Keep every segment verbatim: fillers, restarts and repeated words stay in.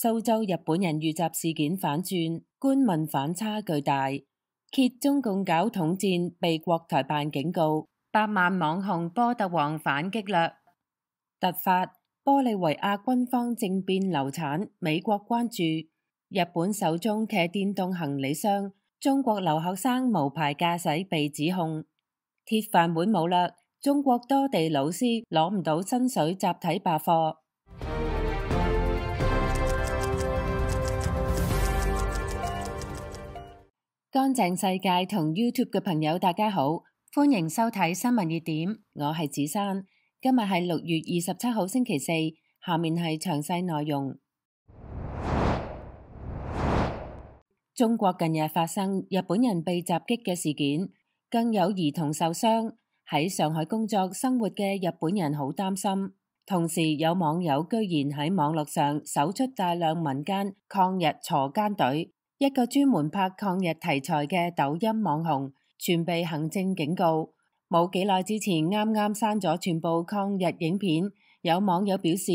蘇州日本人遇襲事件反轉，官民反差巨大，揭中共搞統戰被國台辦警告，百萬網紅波特王反擊略。突發，玻利維亞軍方政變流產，美國關注。日本首宗騎電動行李箱，中國留學生無牌駕駛被指控。鐵飯碗冇啦，中國多地老師攞唔到薪水，集體罷課。乾淨世界同 YouTube 嘅朋友大家好，歡迎收睇新聞熱點，我係子珊。今日係六月二十七號星期四，下面係詳細內容。中國近日發生日本人被襲擊嘅事件，更有兒童受傷。喺上海工作生活嘅日本人好擔心，同時有網友居然喺網絡上搜出大量民間抗日鋤奸隊。一個專門拍抗日題材嘅抖音網紅，全被行政警告。冇幾耐之前，啱啱刪咗全部抗日影片。有網友表示，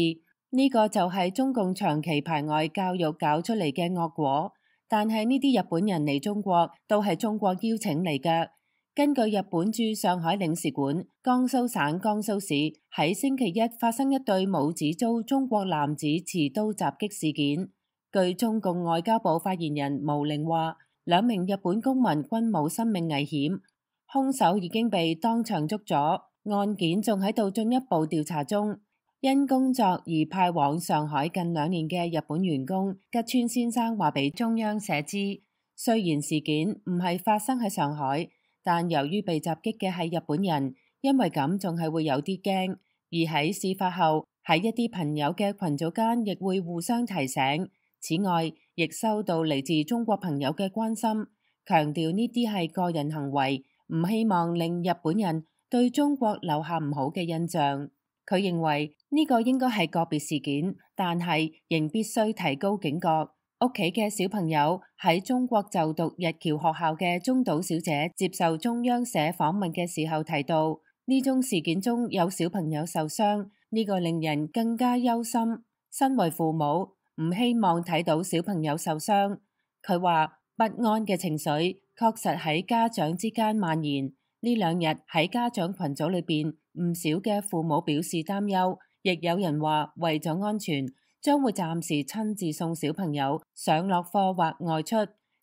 呢個就係中共長期排外教育搞出嚟嘅惡果。但係呢啲日本人嚟中國都係中國邀請嚟嘅。根據日本駐上海領事館，江蘇省江蘇市喺星期一發生一對母子遭中國男子持刀襲擊事件。據中共外交部發言人毛寧話，兩名日本公民均冇生命危險，兇手已經被當場捉咗，案件仲喺度進一步調查中。因工作而派往上海近兩年嘅日本員工吉川先生話俾中央社知，雖然事件唔係發生喺上海，但由於被襲擊嘅係日本人，因為咁仲係會有啲驚，而喺事發後喺一啲朋友嘅群組間亦會互相提醒。此外，亦收到嚟自中國朋友嘅關心，強調呢啲係個人行為，唔希望令日本人對中國留下唔好嘅印象。佢認為呢個應該係個別事件，但係仍必須提高警覺。屋企嘅小朋友喺中國就讀日僑學校嘅中島小姐接受中央社訪問嘅時候提到，呢宗事件中有小朋友受傷，呢個令人更加憂心。身為父母，唔希望睇到小朋友受傷。佢話不安嘅情緒確實喺家長之間蔓延。呢兩日喺家長群組裏邊，唔少嘅父母表示擔憂，亦有人話為咗安全，將會暫時親自送小朋友上落課或外出。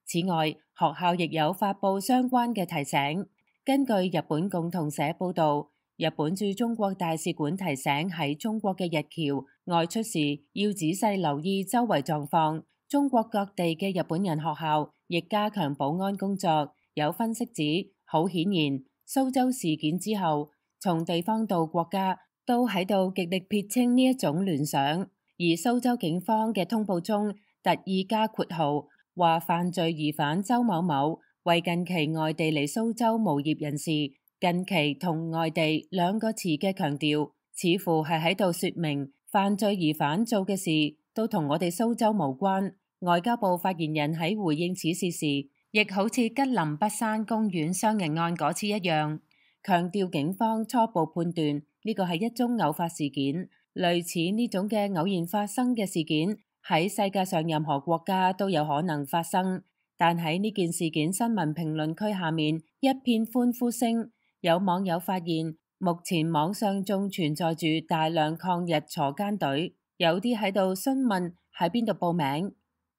此外，學校亦有發佈相關嘅提醒。根據日本共同社報道，日本駐中國大使館提醒喺中國嘅日僑外出時要仔細留意周圍狀況。中國各地嘅日本人學校亦加強保安工作。有分析指，好顯然，蘇州事件之後，從地方到國家都喺度極力撇清呢一種聯想。而蘇州警方嘅通報中特意加括號，話犯罪疑犯周某某為近期外地嚟蘇州無業人士。近期同外地兩個詞嘅強調，似乎係喺度說明犯罪疑犯做嘅事都同我哋蘇州無關。外交部發言人喺回應此事時，亦好似吉林北山公園傷人案嗰次一樣，強調警方初步判斷呢個係一宗偶發事件。類似呢種嘅偶然發生嘅事件喺世界上任何國家都有可能發生，但喺呢件事件新聞評論區下面一片歡呼聲。有網友發現，目前網上仲存在住大量抗日鋤奸隊，有啲喺度詢問喺邊度報名。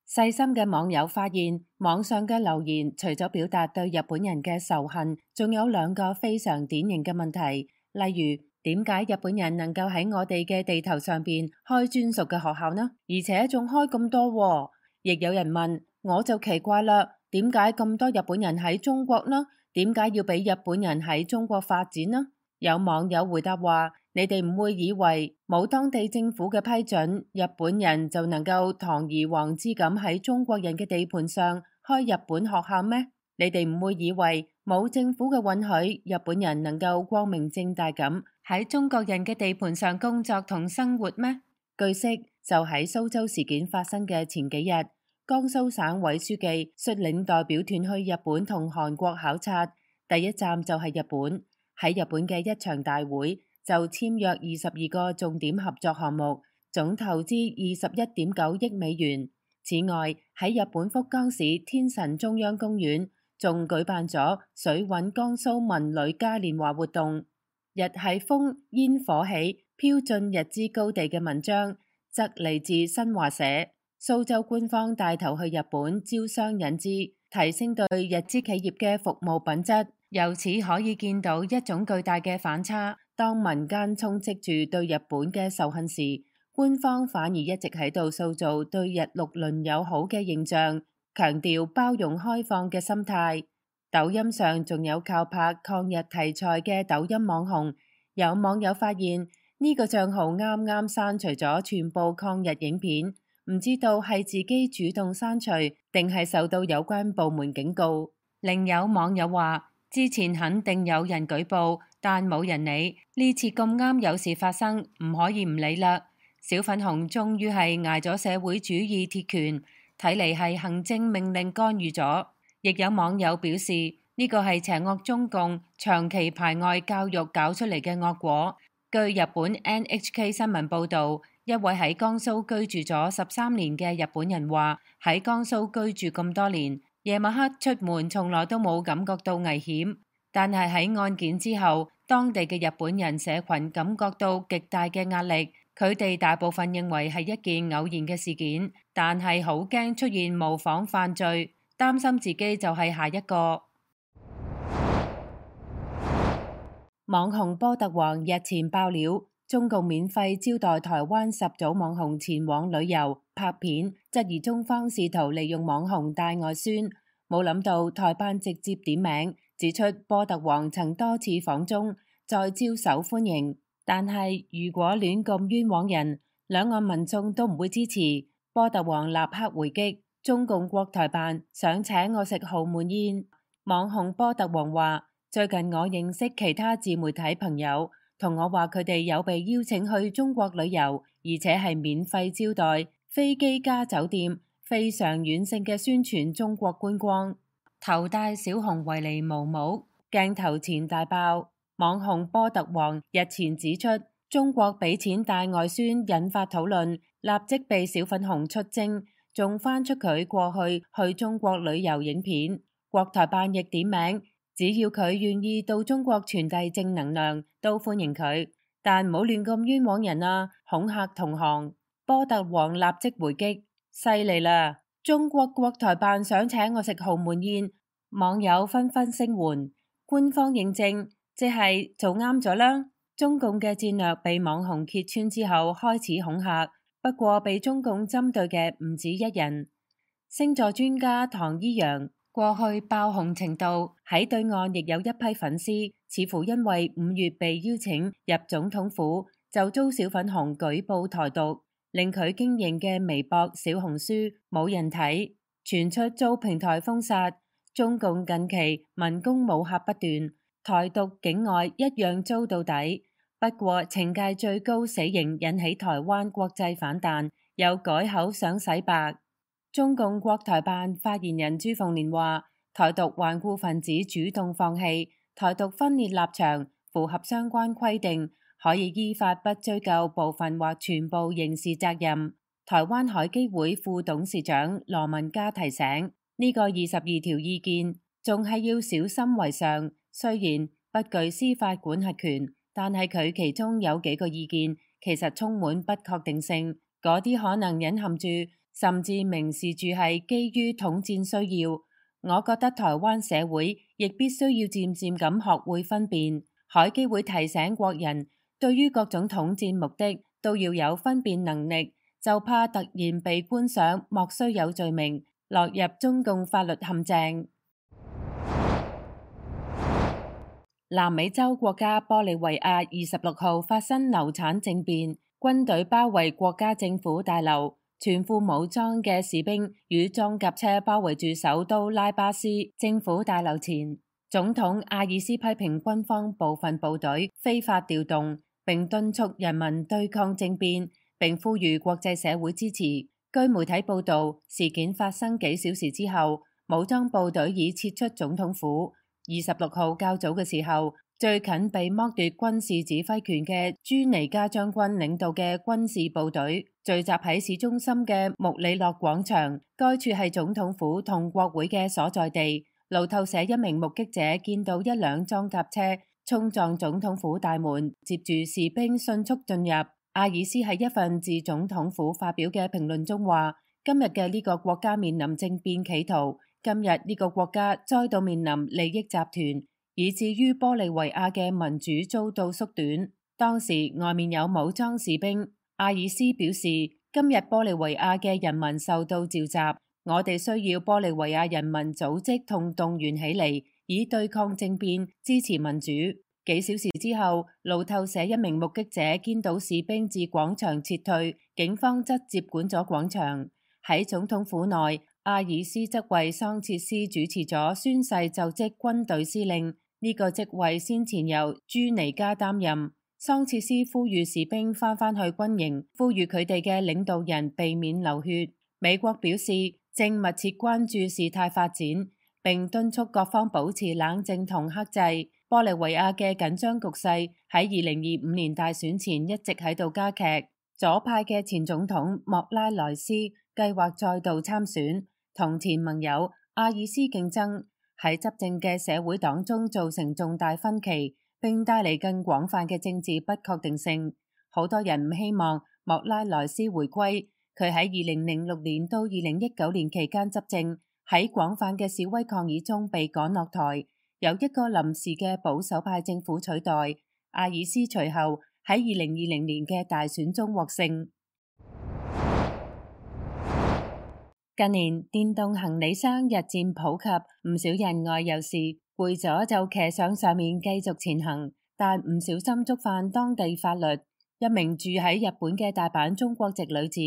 細心嘅網友發現，網上嘅留言除咗表達對日本人嘅仇恨，仲有兩個非常典型嘅問題，例如點解日本人能夠喺我哋嘅地頭上邊開專屬嘅學校呢？而且仲開咁多喎。亦有人問，我就奇怪啦，點解咁多日本人喺中國呢？點解要俾日本人喺中國發展呢？有網友回答話，你哋唔會以為冇當地政府嘅批准，日本人就能夠堂而皇之咁喺中國人嘅地盤上開日本學校咩？你哋唔會以為冇政府嘅允許，日本人能夠光明正大咁喺中國人嘅地盤上工作同生活咩？據悉，就喺蘇州事件發生嘅前幾日，江蘇省委書記率領代表團去日本同韓國考察，第一站就係日本。喺日本嘅一場大會就簽約二十二個重點合作項目，總投資二十一點九億美元。此外，喺日本福岡市天神中央公園仲舉辦咗水搵江蘇文旅嘉年華活動。日係風煙火起，飄進日資高地嘅文章則嚟自新華社。蘇州官方帶頭去日本招商引資，提升對日資企業嘅服務品質。由此可以見到一種巨大嘅反差，當民間充斥住對日本嘅仇恨時，官方反而一直喺度塑造對日六鄰友好嘅形象，強調包容開放嘅心態。抖音上仲有靠拍抗日題材嘅抖音網紅，有網友發現呢個賬號啱啱刪除咗全部抗日影片，唔知道係自己主動刪除定係受到有關部門警告。另有網友話，之前肯定有人舉報，但冇人理，呢次咁啱有事發生，唔可以唔理啦。小粉紅終於係挨咗社會主義鐵拳，睇嚟係行政命令干預咗。亦有網友表示，呢個係邪惡中共長期排外教育搞出嚟嘅惡果。據日本 N H K 新聞報導，一位喺江蘇居住咗十三年嘅日本人話，喺江蘇居住咁多年，夜晚黑出門從來都冇感覺到危險，但係喺案件之後，當地嘅日本人社群感覺到極大嘅壓力。佢哋大部分認為係一件偶然嘅事件，但係好驚出現模仿犯罪，擔心自己就係下一個。網紅波特王日前爆料，中共免費招待台灣十組網紅前往旅遊拍片，質疑中方試圖利用網紅帶外宣。冇諗到台辦直接點名，指出波特王曾多次訪中，再招手歡迎。但係如果亂咁冤枉人，兩岸民眾都唔會支持。波特王立刻回擊，中共國台辦想請我食豪門宴。網紅波特王話，最近我認識其他自媒體朋友，同我話佢哋有被邀請去中國旅遊，而且係免費招待，飛機加酒店，非常軟性嘅宣傳中國觀光。頭戴小熊維尼毛帽，鏡頭前大爆。網紅波特王日前指出，中國俾錢帶外宣引發討論，立即被小粉紅出征，仲翻出佢過去去中國旅遊影片。國台辦亦點名，只要佢願意到中國傳遞正能量，都歡迎佢，但唔好亂咁冤枉人啊，恐嚇同行。波特王立即回擊，犀利啦！中國國台辦想請我食豪門宴，網友紛紛聲援，官方認證。即係做啱咗啦！中共嘅戰略被網紅揭穿之後，開始恐嚇。不過被中共針對嘅唔止一人。星座專家唐依陽過去爆紅程度喺對岸亦有一批粉絲，似乎因為五月被邀請入總統府，就遭小粉紅舉報台獨，令佢經營嘅微博、小紅書冇人睇，傳出遭平台封殺。中共近期文攻武嚇不斷。台獨境外一樣遭到底，不過懲戒最高死刑引起台灣國際反彈，又改口想洗白。中共國台辦發言人朱鳳蓮話，台獨頑固分子主動放棄，台獨分裂立場符合相關規定，可以依法不追究部分或全部刑事責任。台灣海基會副董事長羅文嘉提醒，呢個二十二條意見仲係要小心為上。雖然不具司法管轄權，但係佢其中有幾個意見其實充滿不確定性，嗰啲可能隱含住甚至明示住係基於統戰需要。我覺得台灣社會亦必須要漸漸咁學會分辨。海基會提醒國人，對於各種統戰目的都要有分辨能力，就怕突然被冠上莫須有罪名，落入中共法律陷阱。南美洲國家玻利維亞二十六號發生流產政變，軍隊包圍國家政府大樓，全副武裝嘅士兵與裝甲車包圍住首都拉巴斯政府大樓前。總統阿爾斯批評軍方部分部隊非法調動，並敦促人民對抗政變，並呼籲國際社會支持。據媒體報道，事件發生幾小時之後，武裝部隊已撤出總統府。二十六號較早嘅時候，最近被剝奪軍事指揮權嘅朱尼加將軍領導嘅軍事部隊聚集喺市中心嘅穆里諾廣場，該處係總統府同國會嘅所在地。路透社一名目擊者見到一輛裝甲車衝撞總統府大門，接住士兵迅速進入。阿爾斯喺一份自總統府發表嘅評論中話：今日嘅呢個國家面臨政變企圖，今日呢個國家再度面臨利益集團，以至於玻利維亞嘅民主遭到縮短。當時外面有武裝士兵。阿爾斯表示，今日玻利維亞嘅人民受到召集，我哋需要玻利維亞人民組織同動員起嚟，以對抗政變，支持民主。幾小時之後，路透社一名目擊者見到士兵自廣場撤退，警方則接管咗廣場。喺總統府內，阿爾斯則為桑切斯主持咗宣誓就職軍隊司令。呢個職位先前由朱尼加擔任。桑切斯呼籲士兵翻返去軍營，呼籲佢哋嘅領導人避免流血。美國表示正密切關注事態發展，並敦促各方保持冷靜同克制。玻利維亞嘅緊張局勢喺二零二五年大選前一直喺度加劇。左派嘅前總統莫拉萊斯計劃再度參選，同前盟友阿爾斯競爭，喺執政嘅社會黨中造成重大分歧，並帶嚟更廣泛嘅政治不確定性。好多人唔希望莫拉萊斯回歸，佢喺二零零六年到二零一九年期間執政，喺廣泛嘅示威抗議中被趕落台，由一個臨時嘅保守派政府取代。阿爾斯隨後喺二零二零年嘅大選中獲勝。近年電動行李箱日漸普及，唔少人外遊時攰咗就騎上上面繼續前行，但唔小心觸犯當地法律。一名住喺日本嘅大阪中國籍女子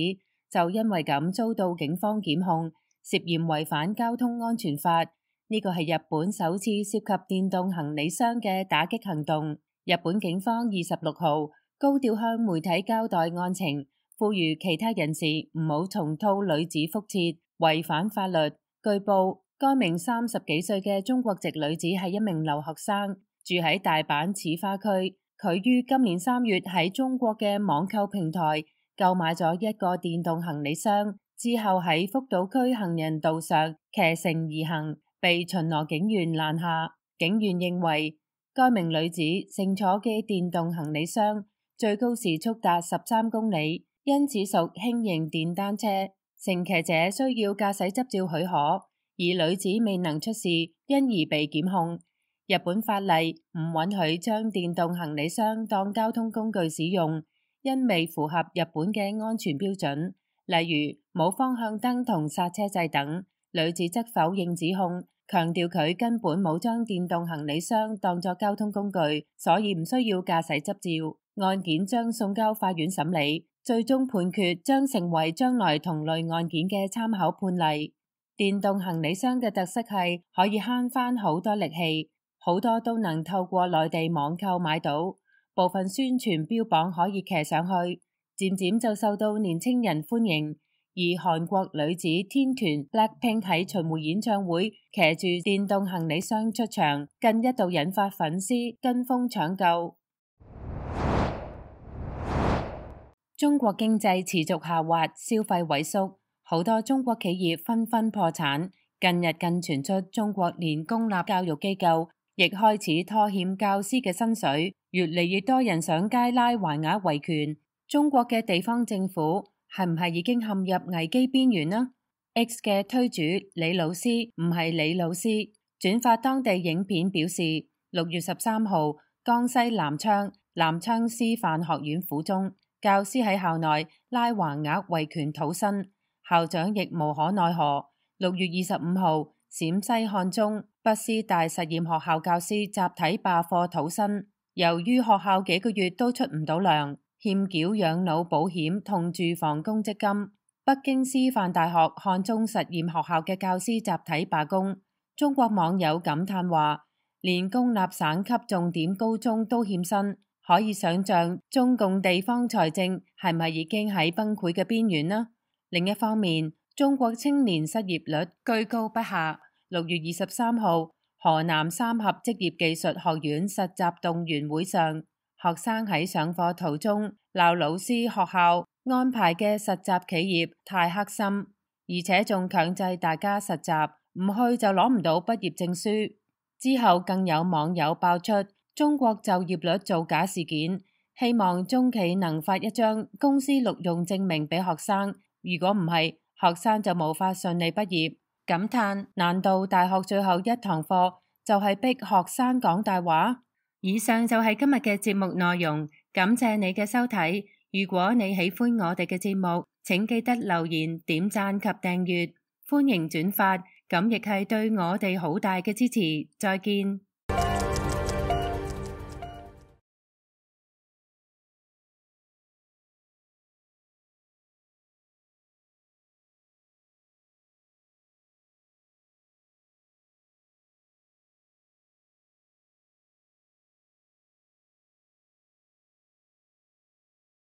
就因為咁遭到警方檢控，涉嫌違反交通安全法。呢個係日本首次涉及電動行李箱嘅打擊行動。日本警方二十六號高調向媒體交代案情，呼籲其他人士唔好重蹈女子覆轍，違反法律。據報，該名三十幾歲嘅中國籍女子係一名留學生，住喺大阪市花區。佢於今年三月喺中國嘅網購平台購買咗一個電動行李箱，之後喺福島區行人道上騎乘而行，被巡邏警員攔下。警員認為該名女子乘坐嘅電動行李箱最高時速達十三公里，因此屬輕型電單車。乘騎者需要駕駛執照許可，而女子未能出示，因而被檢控。日本法例唔允許將電動行李箱當交通工具使用，因未符合日本嘅安全標準，例如冇方向燈同剎車掣等。女子則否認指控，強調佢根本冇將電動行李箱當作交通工具，所以唔需要駕駛執照。案件將送交法院審理，最終判決將成為將來同類案件嘅參考判例。電動行李箱嘅特色係可以慳返好多力氣，好多都能透過內地網購買到，部分宣傳標榜可以騎上去，漸漸就受到年輕人歡迎。而韓國女子天團 Blackpink 喺巡迴演唱會騎住電動行李箱出場，更一度引發粉絲跟風搶購。中國經濟持續下滑，消費萎縮，好多中國企業紛紛破產。近日更傳出中國連公立教育機構亦開始拖欠教師嘅薪水，越嚟越多人上街拉橫額維權。中國嘅地方政府係唔係已經陷入危機邊緣呢？ X 嘅推主李老師唔係李老師轉發當地影片表示，六月十三號，江西南昌南昌師範學院附中教師喺校內拉橫額維權討薪，校長亦無可奈何。六月二十五號，陝西漢中北師大實驗學校教師集體罷課討薪，由於學校幾個月都出唔到糧，欠繳養老保險同住房公積金。北京師範大學漢中實驗學校嘅教師集體罷工。中國網友感嘆話，連公立省級重點高中都欠薪，可以想象中共地方財政係咪已經喺崩潰嘅邊緣呢？另一方面，中國青年失業率居高不下。六月二十三號，河南三峽職業技術學院實習動員會上，學生喺上課途中鬧老師學校安排嘅實習企業太黑心，而且仲強制大家實習，唔去就攞唔到畢業證書。之後更有網友爆出中國就業率造假事件，希望中企能發一張公司錄用證明俾學生，如果唔係，學生就無法順利畢業。感嘆難道大學最後一堂課就係逼學生講大話？以上就係今日嘅節目內容，感謝你嘅收睇。如果你喜歡我哋嘅節目，請記得留言、點讚及訂閱，歡迎轉發，咁亦係對我哋好大嘅支持。再見。